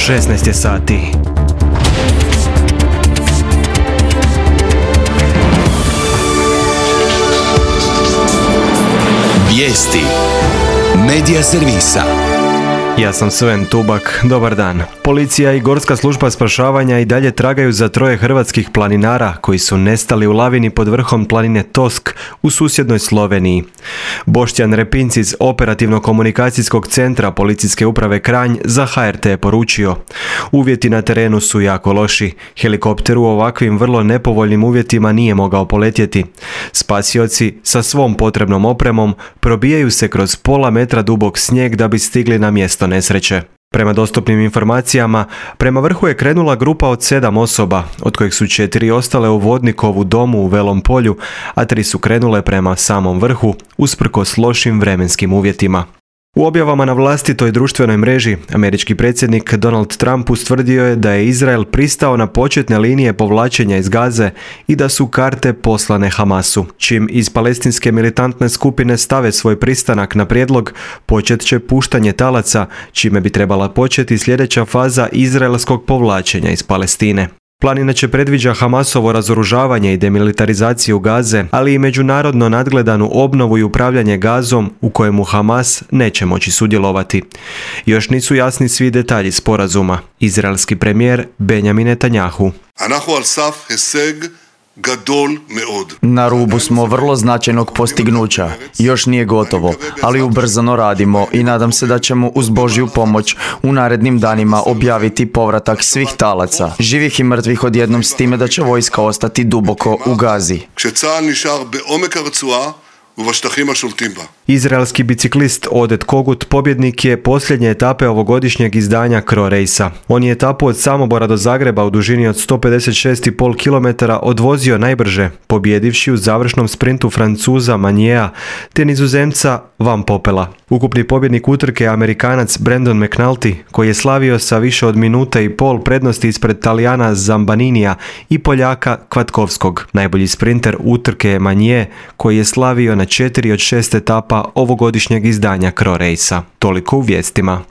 16 je sati. Vijesti Medija servisa. Ja sam Sven Tubak, dobar dan. Policija i Gorska služba spašavanja i dalje tragaju za 3 hrvatskih planinara koji su nestali u lavini pod vrhom planine Tosk u susjednoj Sloveniji. Boštjan Repinc iz Operativno-komunikacijskog centra Policijske uprave Kranj za HRT je poručio: uvjeti na terenu su jako loši. Helikopter u ovakvim vrlo nepovoljnim uvjetima nije mogao poletjeti. Spasioci sa svom potrebnom opremom probijaju se kroz pola metra dubok snijeg da bi stigli na mjesto nesreće. Prema dostupnim informacijama, prema vrhu je krenula grupa od 7 osoba, od kojih su 4 ostale u Vodnikovu domu u Velom Polju, a 3 su krenule prema samom vrhu, usprkos lošim vremenskim uvjetima. U objavama na vlastitoj društvenoj mreži, američki predsjednik Donald Trump ustvrdio je da je Izrael pristao na početne linije povlačenja iz Gaze i da su karte poslane Hamasu. Čim iz palestinske militantne skupine stave svoj pristanak na prijedlog, počet će puštanje talaca, čime bi trebala početi sljedeća faza izraelskog povlačenja iz Palestine. Plan inače predviđa Hamasovo razoružavanje i demilitarizaciju Gaze, ali i međunarodno nadgledanu obnovu i upravljanje Gazom u kojemu Hamas neće moći sudjelovati. Još nisu jasni svi detalji sporazuma. Izraelski premijer Benjamin Netanjahu: na rubu smo vrlo značajnog postignuća. Još nije gotovo, ali ubrzano radimo i nadam se da ćemo uz Božju pomoć u narednim danima objaviti povratak svih talaca, živih i mrtvih odjednom, s time da će vojska ostati duboko u Gazi. Izraelski biciklist Odet Kogut pobjednik je posljednje etape ovogodišnjeg izdanja Kro Racea. On je etapu od Samobora do Zagreba u dužini od 156,5 km odvozio najbrže, pobjedivši u završnom sprintu Francuza Magnea te Nizozemca Van Poppela. Ukupni pobjednik utrke je Amerikanac Brandon McNulty, koji je slavio sa više od minute i pol prednosti ispred Talijana Zambaninija i Poljaka Kvatkovskog. Najbolji sprinter utrke je Magnea, koji je slavio na 4 od 6 etapa ovogodišnjeg izdanja Kro Racea. Toliko u vijestima.